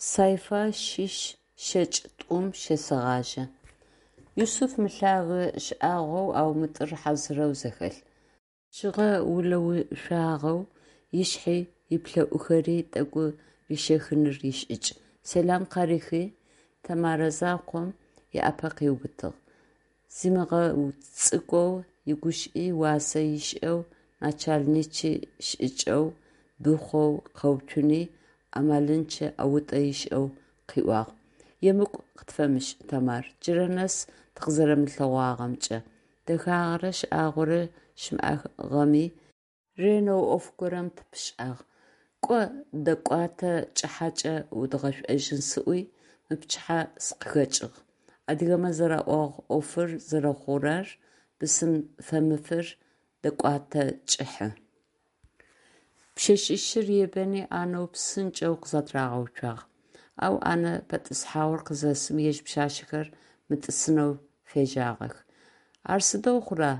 Сайфа щыщ шэкӏ тӏум щесэгъажъэ. Юсыф мылъэгэ шӀагъоу, ау мытӀыр хьазырэу зэхэлъ. Пшъыгъэ улэушъуагъэу, ышъхьи ыплӏэӏухэри тӏэкӏу рищэхыныр ишӏыкӏ. Сэлам къарихи, Тэмарэ закъом ыӏапэ къыубытыгъ, зимыгъэцӏыкӏоу, игущыӏи уасэ ышӏэу, начальничъэ шӏыкӏэу, дыхъоу къэуцуни, амалынчъэ ӏэутӏэ ышӏэу къыӏуагъ: «Емыкӏу къытфэмышӏ, Тэмар, джырэ нэс тыкъызэрэмылъэгъуагъэмкӏэ, дэхагъэрэ шӏагъорэ щымыӏагъэми, ренэу ӏоф горэм тыпышӏагъ, кӏо, дэкӏуатэ кӏыхьэкӏэ удгъэшӏожьын сӏуи, мыпчыхьэ сыкъыхэкӏыгъ. Адыгэмэ зэраӏуагъ ӏофыр зэрэхъурэр, бысым фэмыфыр дэкӏуатэ кӏыхьэ». Пшъэшъищыр ебэни ӏанэу псынкӏэу къызэтырагъэуцуагъ. Ау ӏэнэ пэтӏысхьагъур къызэсым, ежь пшъашъэхэр мытӏысынэу фежьагъэх. «Ар сыдэу хъура?»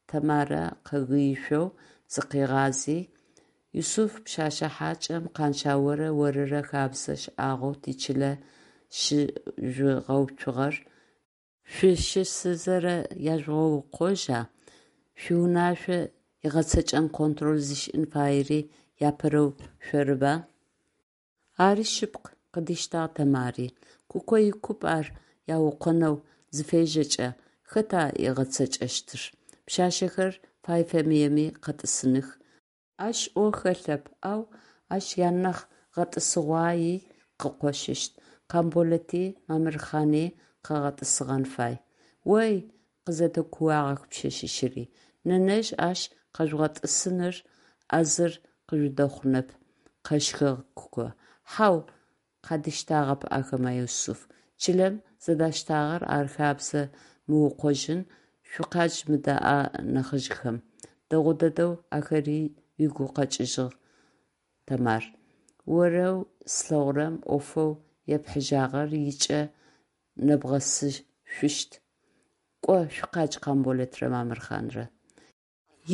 Тэмарэ къэгыишъоу зыкъигъази: «Юсыф пшъэшъэ хьакӏэм Къаншъаорэ орырэ хэбзэ шӏагъоу тичылэ щыжъугъэуцугъэр шъущысызэ яжъугъэукъожьа? Шъуиунашъо игъэцэкӏэн контроль зышӏын фаери апэрэу шъорыба?» Ари шъыпкъ, къыдиштагъ Тэмари. Куко икуп ар яукъонэу зыфежьэкӏэ, хэта ыгъэцэкӏэщтыр? Пшъашъэхэр фай-фэмыеми къэтӏысыных. Ащ ӏо хэлъэп, ау ащ янахь гъэтӏысыгъуаий къыкъощыщт: Къамболэти Мамырхъани къэгъэтӏысыгъэн фай. Ой! – къызэдэкуагъэх пшъэшъищыри. Нэнэжъ ащ къэжъугъэтӏысыныр ӏазыр къыжъудэхъунэп, – къэщхыгъ Куко. Хьау, – къадиштагъэп ахэмэ Юсыф. Чылэм зэдаштагъэр ар хэбзэ мыукъожьын, шъукъадж мыдэ а нахьыжъхэм. Дэгъу дэдэу ахэри угу къэкӏыжьыгъ, Тэмар. Орэу слъэгъурэм ӏофэу епхьыжьагъэр ыкӏэ нэбгъэсышъущт. Кӏо, шъукъадж Къамболэтрэ Мамырхъанрэ.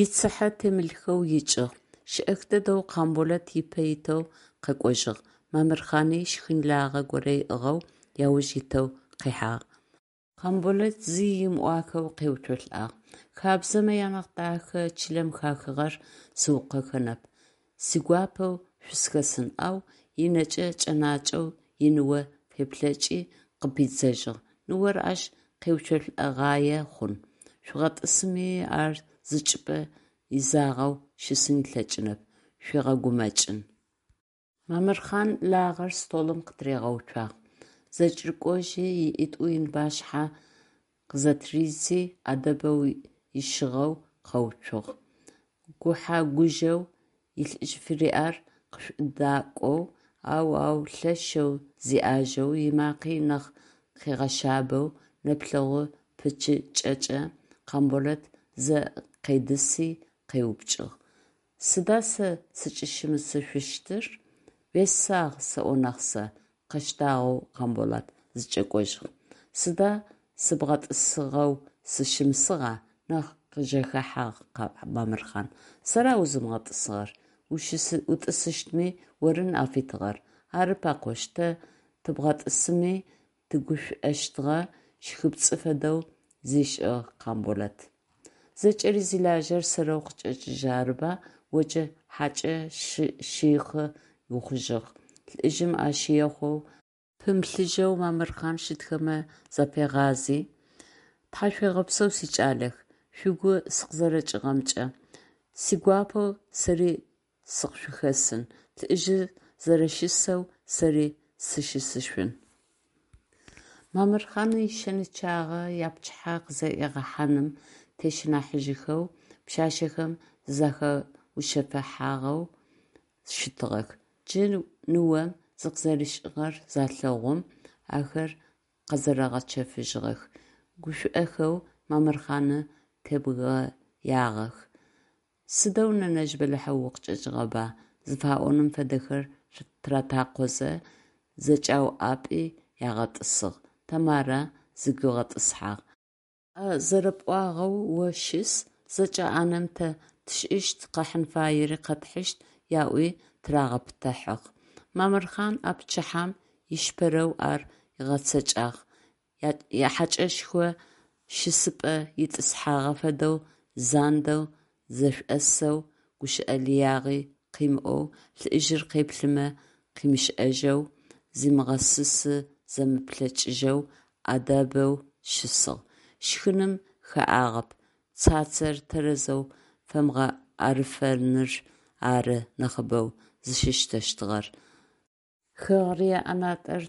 Ицыхьэ темылъхэу икӏыгъ. Шӏэх дэдэу Къамболэт ыпэ итэу къэкӏожьыгъ, Мамырхъани шхын лагъэ горэ ыӏыгъэу яуж итэу къихьагъ. Къамболэт зи ымыӏуахэу къеуцолӏагъ. Хабзэмэ янахь дахэ чылэм хахыгъэр сыукъохэнэп, сигуапэу шъусхэсын, ау ынэкӏэ кӏэнакӏэу иныо феплъэкӏи, къыпидзэжьыгъ: Ныор ащ къеуцолӏэгъае хъун. Шъугъэтӏысми, ар зы чӏыпӏэ изагъэу щысын ылъэкӏынэп, шъуигъэгумэкӏын. Мамырхъан лагъэр столым къытыригъэуцуагъ, зэкӏэрыкӏожьи ыӏитӏу ыныбашъхьэ къызэтыридзи, ӏэдэбэу ищыгъэу къэуцугъ. Гухьэ-гужъэу илӏыжъ фыриӏэр къышӏудакӏоу, ау ау лъэшэу зиӏажэу, ымакъи нахь къыгъэшъабэу, нэплъэгъу пычыкӏэкӏэ Къамболэт зэ къедыси, къеупчӏыгъ: «Сыда сэ сыкӏыщымысышъущтыр?» «Уесагъ сэӏо нахь сэ!» – къэщтагъэу Къамболэт зэкӏэкӏожьыгъ. «Сыда сыбгъэтӏысыгъэу сыщымысыгъа?» – нахь къыжэхэхьагъ Мамырхъан. «Сэра узымыгъэтӏысыгъэр? Утӏысыщтми оры ныӏа фитыгъэр». «Ары пакӏошъ, тэ тыбгъэтӏысми тыгушӏощтыгъэ», – щхыпцӏы фэдэу зишӏыгъ Къамболэт. «Зэкӏэри зилажьэр сэрэу къычӏэкӏыжьы арыба, о джы хьакӏэ шыихъы ухъужьыгъ», – лӏыжъым ащ ехъоу пымылъыжьэу Мамырхъан щытхэмэ зафигъази: «Тхьашъуегъэпсэу, сикӏалэх, шъугу сыкъызэрэкӏыгъэмкӏэ, сигуапэу сэри сыкъышъухэсын, лӏыжъыр зэрэщысэу сэри сыщысышъун». Мамырхъан ишэнычъагъэ япчыхьэ къызэӏигъэхьаным тещыныхьажьхэу пшъашъэхэм зызэхаушъэфыхьагъэу щытыгъэх. Джы ныом зыкъызэришӏыгъэр залъэгъум, ахэр къэзэрэгъэчэфыжьыгъэх, гушӏохэу Мамырхъаны тебгыягъэх. «Сыдэу, нэнэжъ, бэлахьэу укъычӏэкӏыгъэба?» зыфаӏоным фэдэхэр тыратакъозэ, зэкӏауӏапӏи ягъэтӏысыгъ, Тэмарэ зыгуигъэтӏысхьагъ. А зэрэпӏуагъэу о щыс, зэкӏэ ӏанэм тэ тшӏыщт, къэхьын фаери къэтхьыщт, яӏуи тырагъэпытыхьагъ. Мамырхъан а пчыхьэм ишпэрэу ар ыгъэцэкӏагъ: яхьакӏэшхо шысыпӏэ итӏысхьагъэ фэдэу зандэу зэшӏосэу, гущыӏэ лыягъи къымыӏоу, лӏыжъыр къеплъымэ къымышӏэжьэу, зимыгъэсысы-зэмыплъэкӏыжьэу, ӏэдэбэу щысыгъ. Шхыным хэӏагъэп, цацэр тэрэзэу фэмыгъэӏэрыфэныр ары нахьыбэу зыщыщтэщтыгъэр. Хэгърые ӏэнатӏэр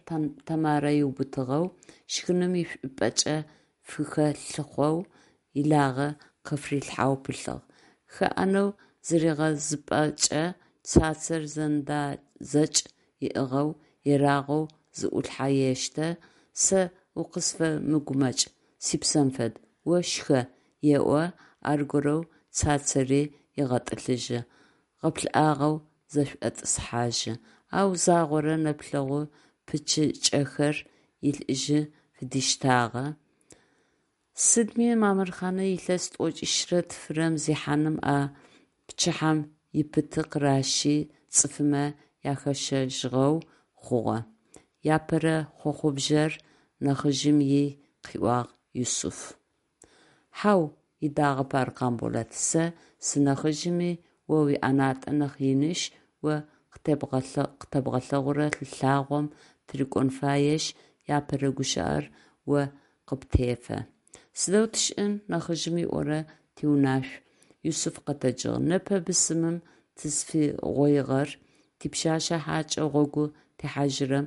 Тэмарэ ыубытыгъэу, шхыным ишӏупӏэкӏэ фыхэлъыхъоу, илагъэ къыфырилъхьэу пылъыгъ. Хэӏэнэу зыригъэзыпӏэкӏэ, цацэр зэндэ-зэкӏ ыӏыгъэу, ерагъэу зы ӏулъхьэ ештэ, «Сэ укъысфэмыгумэкӏ, сипсэм фэд, о шхэ», еӏо, аргорэу цацэри егъэтӏылъыжьы, гъэплъыгъэу зэшӏотӏысхьажьы, ау загъорэ нэплъэгъу пычыкӏэхэр илӏыжъы фыдиштагъэ. Сыдми Мамырхъаны илъэс тӏокӏищрэ тфырэм зехьаным а пчыхьэм ипыты къыращи цӏыфымэ яхэщэжьыгъэу хъугъэ, иапэрэ хъохъубжъэр нахьыжъым ий къыӏуагъ Юсыф. Хьау, ыдагъэп ар Къамболэт, сэ сынахьыжъми, о уиӏэнатӏэ нахь инышъ, о къытэбгъэлъэгъурэ лъагъом тырыкӏон фаешъ, апэрэ гущыӏэр о къыптефэ. Сыдэу тшӏын, нахьыжъым ыӏорэр тиунашъу, Юсыф къэтэджыгъ, непэ бысымым тызфигъоигъэр типшъашъэ хьакӏэ гъогу техьажьырэм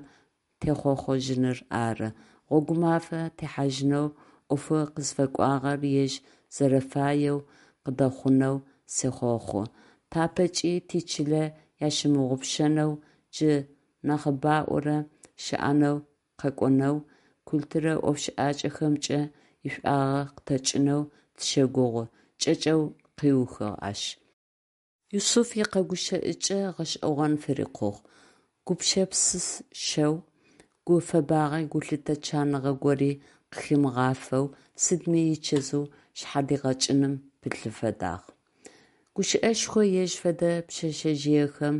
техъохъужьыныр ары. Гъогумафэ техьажьынэу, ӏофэу къызфэкӏуагъэр ежь зэрэфаеу къыдэхъунэу сехъохъу. Тапэкӏи тичылэ ящымыгъупшэнэу, джы нахьыбаӏорэ щыӏэнэу, къэкӏонэу, культурэ ӏофшӏакӏэхэмкӏэ ишӏуагъэ къытэкӏынэу тыщэгугъы, кӏэкӏэу къыухыгъ ащ. Юсыф икъэгущыӏыкӏэ гъэшӏэгъон фырикъугъ, гупшэпсышэу, гу фэбагъи гулъытэ чаныгъэ гори къыхимыгъафэу, сыдми ичэзыу шъхьадигъэкӏыным пылъы фэдагъ. Гущыӏэшхо ежь фэдэ пшъэшъэжъыехэм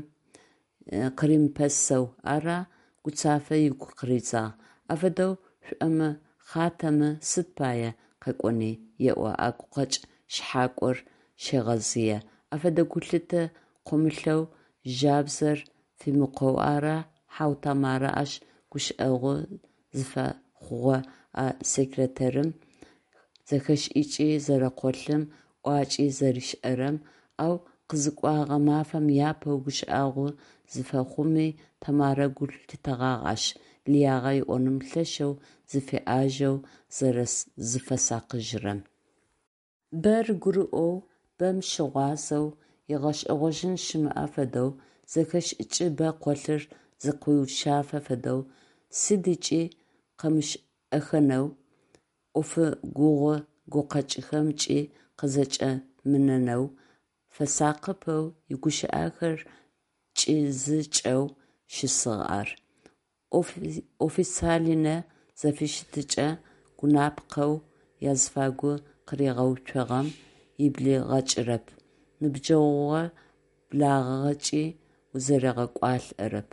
къыримыпэсэу ара Гуцафэ ыгу къыридзагъ, афэдэу шӏомыхъатэмэ сыд пае къэкӏони еӏо а гукъэкӏ шъхьакӏор щегъэзые, афэдэ гулъытэ къомылъэу, жабзэр фимыкъоу ара, хьау Тэмарэ ащ гущыӏэгъу зыфэхъугъэ а секретарым зэхэшӏыкӏи зэрэкъолъым, ӏуакӏи зэришӏэрэм, ау къызыкӏогъэ мафэм апэу гущыӏэгъу зыфэхъуми Тэмарэ гу лъитэгъагъ ащ лыягъэ ыӏоным лъэшэу зыфиӏажэу, зэрэзыфэсакъыжьырэм. Бэр гурыӏоу, бэм щыгъуазэу, ыгъэшӏэгъожьын щымыӏэ фэдэу, зэхэшӏыкӏы бэ къолъыр зыкъуиушъафэ фэдэу, сыдыкӏи къэмышӏэхэнэу, ӏофы гугъу гукъэкӏхэмкӏи къызэкӏэмынэнэу, фэсакъыпэу, игущыӏэхэр кӏизыкӏэу щысыгъ ар. Официальнэ зэфыщытыкӏэ гъунапкъэу азыфагу къыригъэуцуагъэм ыблигъэкӏырэп, ныбджэгъугъэ благъэгъэкӏи узэригъэкӏуалӏэрэп.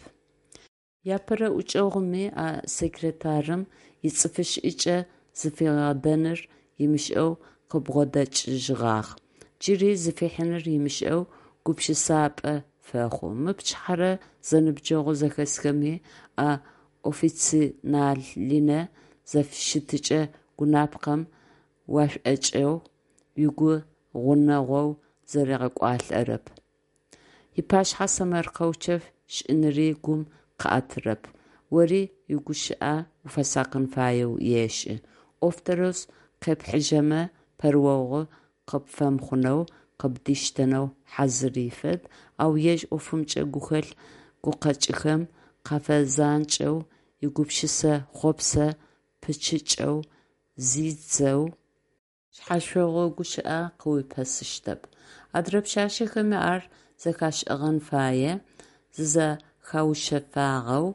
Иапэрэ ӏукӏэгъуми а секретарым ицӏыфышӏыкӏэ зыфигъэдэныр ымышӏэу къыбгъодэкӏыжьыгъагъ. Джыри зыфихьыныр ымышӏэу гупшысапӏэ фэхъу. Мы пчыхьэрэ зэныбджэгъу зэхэсхэми а официальнэ зэфыщытыкӏэ гъунапкъэм уашӏокӏэу, угу гъунэгъоу зэригъэкӏуалӏэрэп. Ыпашъхьэ сэмэркъэу чэф шӏыныри гум къыӏэтырэп, ори уигущыӏэ уфэсакъын фаеу ешӏы. Ӏоф тэрэз къепхьыжьэмэ, пэрыохъу къыпфэмыхъунэу, къыбдиштэнэу хьазыры фэд, ау ежь ӏофымкӏэ гухэлъ гукъэкӏхэм къафэзанкӏэу, игупшысэ хъопсэ пычъыкӏэу зидзэу, шъхьэшъогъу гущыӏэ къыуипэсыщтэп. Адрэ пшъашъэхэми ар зэхашӏэгъэн фае, зызэхаушъэфагъэу,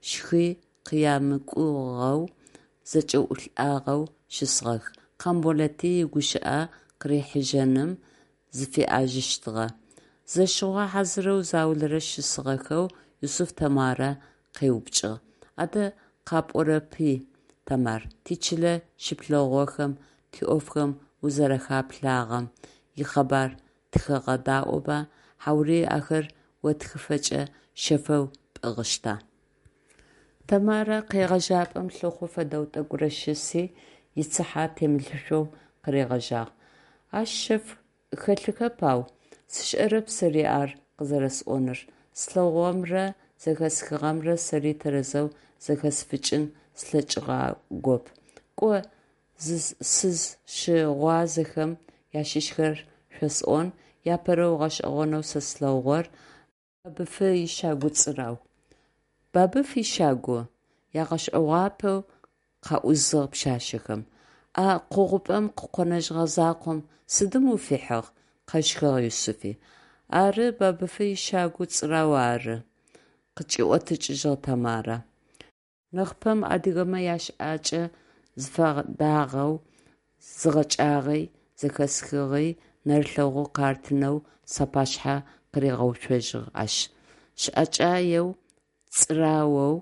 щхи къямыкӏугъэу, зэкӏэӏулӏагъэу щысыгъэх. Къамболэти игущыӏэ къырихьыжьэным зыфиӏажэщтыгъэ. Зэщыгъо хьазырэу заулэрэ щысыгъэхэу Юсыф Тэмарэ къеупчӏыгъ: Адэ къапӏорэпи, Тэмар, тичылэ щыплъэгъугъэхэм, тиӏофхэм узэрэхаплъагъэм икъэбар тыхэгъэдаӏоба, хьаури ахэр отхыфэкӏэ шъэфэу пӏыгъыщта? Тэмарэ къегъэжьапӏэм лъыхъу фэдэу тӏэкӏурэ щыси, ицыхьэ темылъышъоу къыригъэжьагъ: Ащ шъэф хэлъыхэп ау, сшӏэрэп сэри ар къызэрэсӏоныр, слъэгъугъэмрэ зэхэсхыгъэмрэ сэри тэрэзэу зэхэсфыкӏын слъэкӏыгъагоп. Кӏо, сызщыгъуазэхэм ащыщхэр шъосӏон: апэрэу гъэшӏэгъонэу сэ слъэгъугъэр Бабыфы ищагу цӏырау. Бабыф ищагу? – Ягъэшӏэгъуапэу къаӏузыгъ пшъашъэхэм. А къогъупӏэм къыкъонэжьыгъэ закъом сыдым уфихьыгъ? – къэщхыгъ Юсыфи. Ары, Бабыфы ищагу цӏырау ары, – къыкӏиӏотыкӏыжьыгъ Тэмарэ. Нахьыпэм адыгэмэ ящыӏакӏэ зыфэдагъэу згъэкӏагъи, зэхэсхыгъи нэрылъэгъу къартынэу сапашъхьэ къыригъэуцожьыгъ ащ. Щыӏэкӏаеу, цӏыраоу,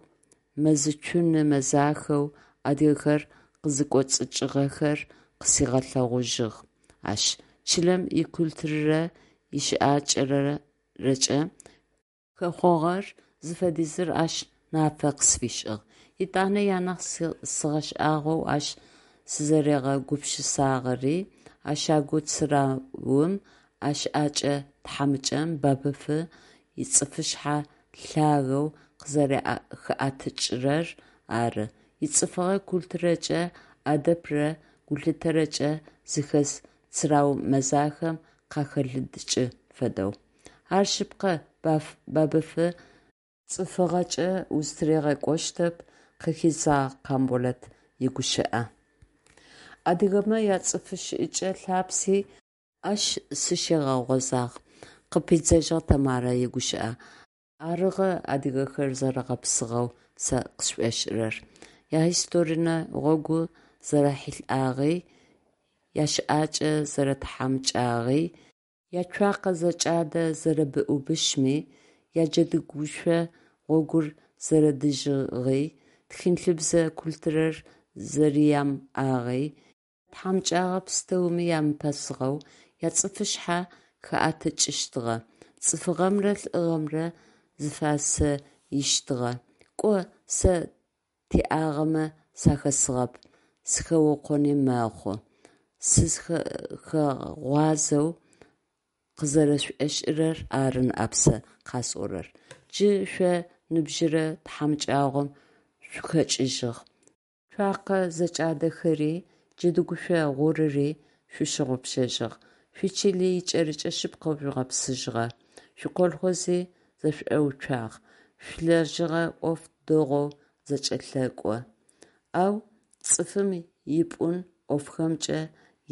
мэзыцуны мэзахэу адыгэхэр къызыкӏоцӏыкӏыгъэхэр къысигъэлъэгъужьыгъ ащ, чылэм икультурэрэ ищыӏакӏэрэкӏэ хэхъогъэр зыфэдизыр ащ нафэ къысфишӏыгъ. Етӏанэ анахь сыгъэшӏагъоу ащ сызэригъэгупшысагъэри а щагу цыраум, а щыӏэкӏэ тхьамыкӏэм Бабыфы ицӏыфышъхьэ лъагэу къызэрэхиӏэтыкӏырэр ары, ицӏыфыгъэ культурэкӏэ, ӏэдэбрэ гулъытэрэкӏэ зыхэс цырау мэзахэм къахэлыдыкӏы фэдэу. Ар шъыпкъэ, Бабыфы цӏыфыгъэкӏэ узтыригъэкӏощтэп, къыхидзагъ Къамболэт игущыӏэ. Адыгэмэ яцӏыфщыӏэкӏэ лъапси ащ сыщигъэгъозагъ, къыпидзэжьыгъ Тэмарэ игущыӏэ. Арыгъэ адыгэхэр зэрэгъэпсыгъэу сэ къысшӏошӏырэр. Яисторинэ гъогу зэрэхьылъагъи, ящыӏакӏэ зэрэтхьамыкӏагъи, яцуакъэ зэкӏадэ зэрэбыӏубышъми, яджэдыгушъо гъогур зэрэдыжьыгъи, тхылъыбзэ культурэр зэрямыӏагъи, ятхьамыкӏэгъо пстэуми ямыпэсыгъэу, яцӏыфышъхьэ хаӏэтыкӏыщтыгъэ, цӏыфыгъэмрэ лӏыгъэмрэ зыфасыищтыгъэ. Кӏо, сэ тиӏагъэмэ сахэсыгъэп, сыхэукъони мэхъу, сызхэгъуазэу къызэрэсшӏошӏырэр ары ныӏэп сэ къасӏорэр. Джы шъо ныбжьырэ тхьамыкӏагъом шъухэкӏыжьыгъ, цуакъэ зэкӏадэхэри, джэдыгушъо гъурыри шъущыгъупшэжьыгъ, шъуичыли икӏэрыкӏэ шъыпкъэу жъугъэпсыжьыгъэ, шъуиколхози зэшӏоуцуагъ, шъуилэжьыгъэ ӏоф дэгъоу зэкӏэлъэкӏо, ау цӏыфым ипӏун ӏофхэмкӏэ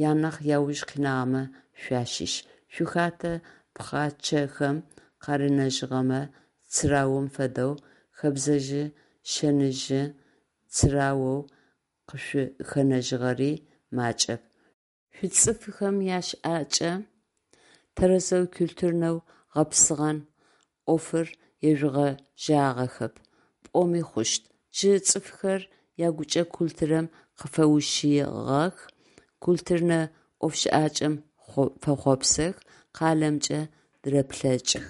анахь ауж къинагъэмэ шъуащыщ, шъуихатэ пхъачъэхэм къарынэжьыгъэмэ цыраум фэдэу, хэбзэжъы-шэныжъы цыраоу къышъухэнэжьыгъэри макӏэп, шъуицӏыфхэм ящыӏакӏэ тэрэзэу культурнэу гъэпсыгъэн ӏофыр ежъугъэжьагъэхэп пӏоми хъущт. Джы цӏыфхэр ягукӏэ культурэм къыфэущыгъэх, культурнэ ӏофшӏакӏэм фэхъуапсэх, къалэмкӏэ дырэплъэкӏых.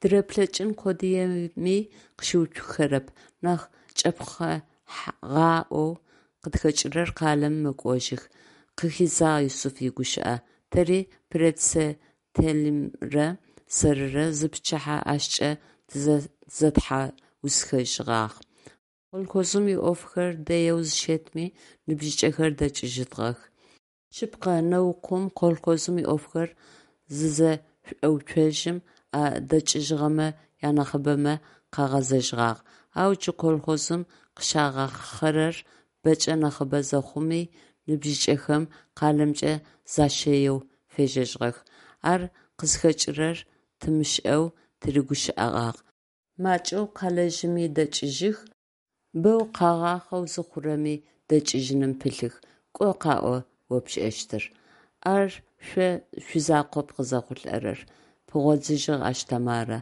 Дырэплъэкӏын къодыеми къыщыуцухэрэп, нахь чъэпхъыгъаӏоу къытхэкӏырэр къалэм мэкӏожьых, къыхидзагъ Юсыф игущыӏэ. Тэри председателымрэ сэрырэ зыпчыхьэ ащкӏэ тызэтхьаусхэжьыгъагъ. Колхозым иӏофхэр дэеу зыщэтми ныбжьыкӏэхэр дэкӏыжьыгъэх. Шъыпкъэ, нэукъум колхозым иӏофхэр зызэшӏоуцожьым, а дэкӏыжьыгъэмэ янахьыбэмэ къагъэзэжьыгъагъ, ау джы колхозым къыщагъахъэрэр бэкӏэ нахьыбэ зэхъуми ныбжьыкӏэхэм къалэмкӏэ защэеу фежьэжьыгъэх, ар къызхэкӏырэр тымышӏэу тырыгущыӏэгъагъ, макӏэу къалэжьыми дэкӏыжьых, бэу къагъахъэу зыхъурэми дэкӏыжьыным пылъых, кӏо къаӏо о пшӏэщтыр. Ар шъо шъуизакъоп къызэхъулӏэрэр, – пигъодзыжьыгъ ащ Тэмарэ.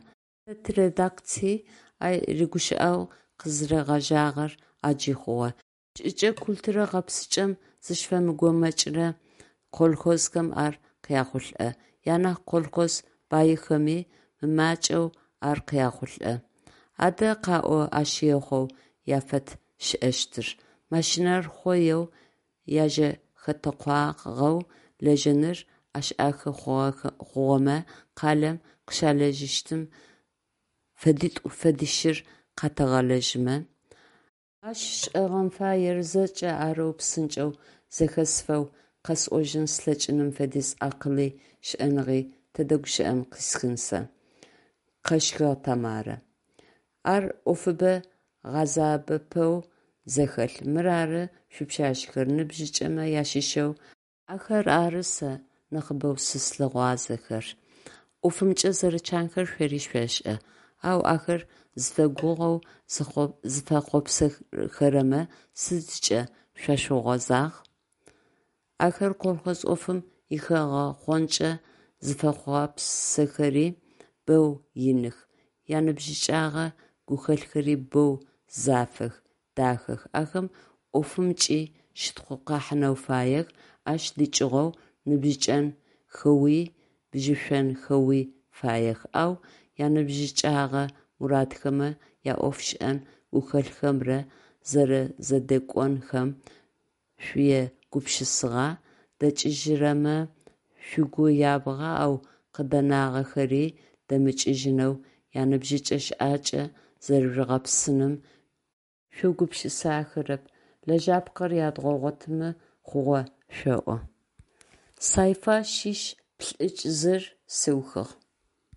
Тэ тиредакции ар ригущыӏэгъу къызыригъэжьагъэр ӏаджи хъугъэ. Шӏыкӏэ-культурэ гъэпсыкӏэм зыщыфэмыгумэкӏырэ колхозхэм ар къяхъулӏэ, анахь колхоз баихэми мымакӏэу ар къяхъулӏэ. Адэ къаӏо ащ ехъоу яфэтшӏэщтыр: машинэр хъоеу яжэхэтэкъуагъэу лэжьэныр ӏэшӏэхы хъугъэмэ, къалэм къыщалэжьыщтым фэдитӏу-фэдищыр къятэгъэлэжьымэ? Ащ шӏэгъэн фаер зэкӏэ арэу псынкӏэу зэхэсфэу къэсӏожьын слъэкӏыным фэдиз акъыли шӏэныгъи тэдэ гущыӏэм къисхын сэ! – Къэщхыгъ Тэмарэ. Ар ӏофыбэ гъэзабэпэу зэхэлъ. Мырары, шъуипшъашъэхэр, ныбжьыкӏэмэ ащыщэу ахэр ары сэ нахьыбэу сызлъыгъуазэхэр, ӏофымкӏэ зэрэчанхэр шъори шъошӏэ, ау ахэр зыфэгугъэу зыфэхъуапсэхэрэмэ сыдкӏэ шъуащыгъуаза? Ахэр колхоз ӏофым ихэгъэхъонкӏэ зыфэхъуапсэхэри боу иных, яныбжьыкӏэгъэ гухэлъхэри боу зафэх, дахэх, ахэм ӏофымкӏи щытхъу къахьынэу фаех, ащ дыкӏыгъоу ныбжьыкӏэнхэуи бжьышӏонхэуи фаех, ау яныбжьыкӏэгъэ мурадхэмрэ яӏофшӏэн гухэлъхэмрэ зэрэзэдэкӏонхэм шъуегупшысагъа, дэкӏыжьырэмэ шъугу ябгъа, ау къыдэнагъэхэри дэмыкӏыжьынэу яныбжьыкӏэ щыӏакӏэ зэрэжъугъэпсыным шъуегупшысахэрэп, лэжьапкӏэр ядгъэгъотымэ хъугъэ шъоӏо. Сайфа шъищ плӏыкӏ зыр сыухыгъ.